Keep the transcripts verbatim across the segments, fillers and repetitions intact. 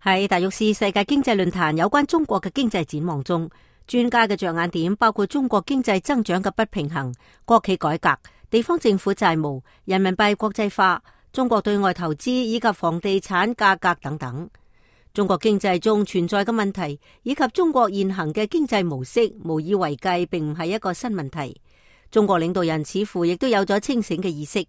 喺達沃斯世界經濟論壇有關中國嘅經濟展望中，專家嘅着眼點包括中國經濟增長嘅不平衡、國企改革、地方政府債務、人民幣國際化、中國對外投資以及房地產價格等等。中國經濟中存在嘅問題以及中國現行嘅經濟模式無以為繼，並唔係一個新問題。中國領導人似乎亦都有咗清醒嘅意識。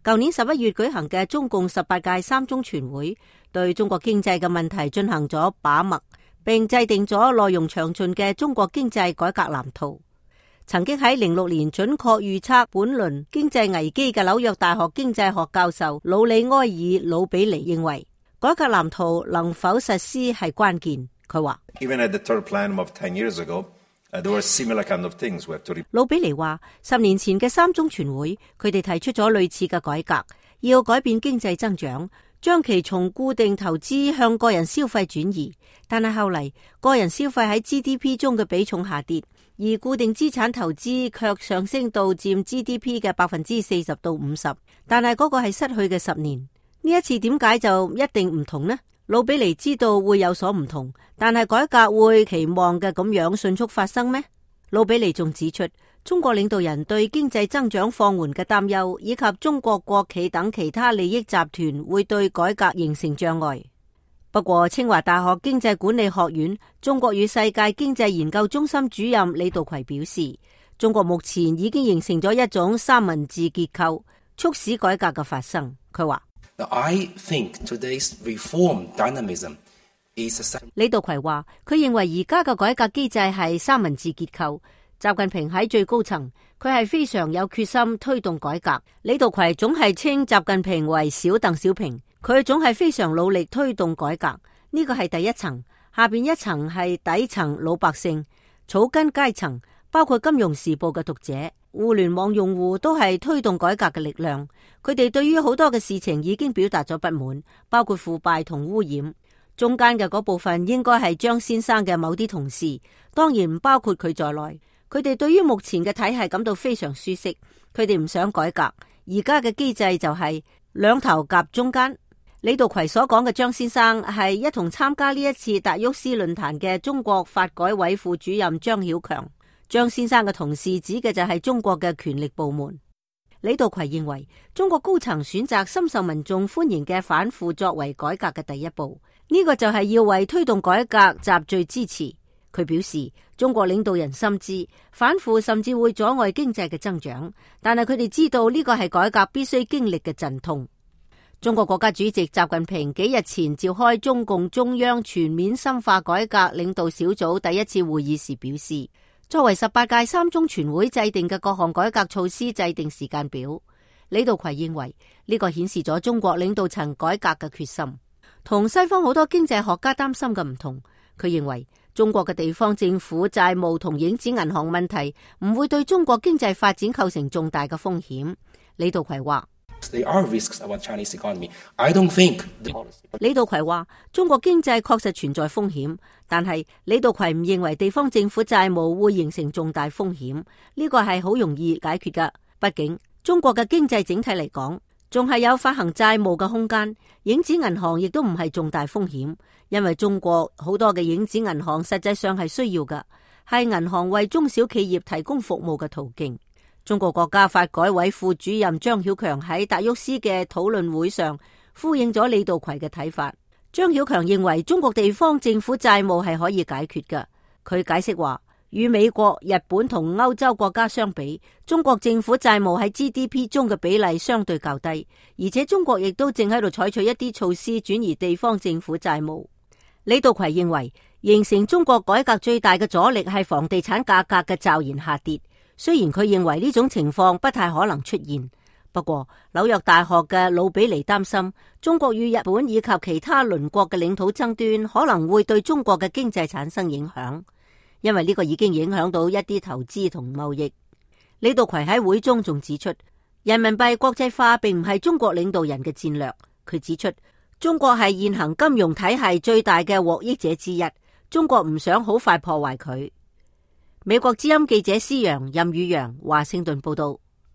舊年十一月舉行嘅中共十八屆三中全會，對中國經濟嘅問題進行咗把脈，並制定咗內容詳盡嘅中國經濟改革藍圖。曾經喺零六年準確預測本輪經濟危機嘅紐約大學經濟學教授魯里埃爾·魯比尼認為，改革藍圖能否實施係關鍵。佢話魯比尼話，十年前嘅三中全會，佢哋提出咗類似嘅改革，要改變經濟增長，將其從固定投資向個人消費轉移。但係後嚟，個人消費喺 G D P 中嘅比重下跌，而固定資產投資卻上升到佔 G D P 嘅百分之四十到五十。但係嗰個係失去嘅十年。呢一次點解就一定唔同呢？魯比尼知道會有所唔同，但係改革會期望嘅咁樣迅速發生咩？魯比尼仲指出，中國領導人對經濟增長放緩嘅擔憂，以及中國國企等其他利益集團會對改革形成障礙。不過，清華大學經濟管理學院中國與世界經濟研究中心主任李道葵表示，中國目前已經形成咗一種三文治結構，促使改革嘅發生。佢話I think today's reform dynamism is a... 李道葵話，佢認為而家嘅改革機制係三文治結構。習近平喺最高層，佢係非常有決心推動改革。李道葵總係稱習近平為小鄧小平，佢總係非常努力推動改革。呢個係第一層，下邊一層係底層老百姓、草根階層，包括金融時報嘅讀者、互聯網用戶都係推動改革嘅力量。佢哋對於好多嘅事情已經表達咗不滿，包括腐敗同污染。中間嘅嗰部分應該係張先生嘅某啲同事，當然唔包括佢在內。佢哋對於目前嘅體系感到非常舒適，佢哋唔想改革。而家嘅機制就係兩頭夾中間。李道葵所講嘅張先生係一同參加呢一次達沃斯論壇嘅中國發改委副主任張曉強。張先生嘅同事指嘅就係中國嘅權力部門。李道葵認為，中國高層選擇深受民眾歡迎嘅反腐作為改革嘅第一步，呢、這個就係要為推動改革集聚支持。佢表示，中國領導人深知反腐甚至會阻礙經濟嘅增長，但係佢哋知道呢個係改革必須經歷嘅陣痛。中國國家主席習近平幾日前召開中共中央全面深化改革領導小組第一次會議時表示，作為十八屆三中全會制定嘅各項改革措施制定時間表。李道葵認為呢個顯示咗中國領導層改革嘅決心，同西方好多經濟學家擔心嘅唔同。佢認為中國嘅地方政府債務同影子銀行問題唔會對中國經濟發展構成重大嘅風險。李道葵話There are risks about Chinese economy. I don't think the... 李道葵話中國經濟確實存在風險，但係李道葵唔認為地方政府債務會形成重大風險，呢個係好容易解決㗎。畢竟中國嘅經濟整體嚟講仲係有發行債務嘅空間，影子銀行亦都唔係重大風險，因為中國好多嘅影子銀行實際上係需要㗎，係銀行為中小企業提供服務嘅途徑。中國國家發改委副主任張曉強喺達沃斯嘅討論會上呼應咗李道葵嘅睇法。張曉強認為中國地方政府債務係可以解決嘅。佢解釋話，與美國、日本同歐洲國家相比，中國政府債務喺 G D P 中嘅比例相對較低，而且中國亦都正喺度採取一啲措施轉移地方政府債務。李道葵認為，形成中國改革最大嘅阻力係房地產價格嘅驟然下跌。雖然佢認為呢種情況不太可能出現，不過紐約大學嘅魯比尼擔心中國與日本以及其他鄰國嘅領土爭端可能會對中國嘅經濟產生影響，因為呢個已經影響到一啲投資同貿易。李道葵喺會中仲指出，人民幣國際化並唔係中國領導人嘅戰略。佢指出，中國係現行金融體系最大嘅獲益者之一，中國唔想好快破壞佢。美國之音記者施洋、任宇陽華盛頓報道。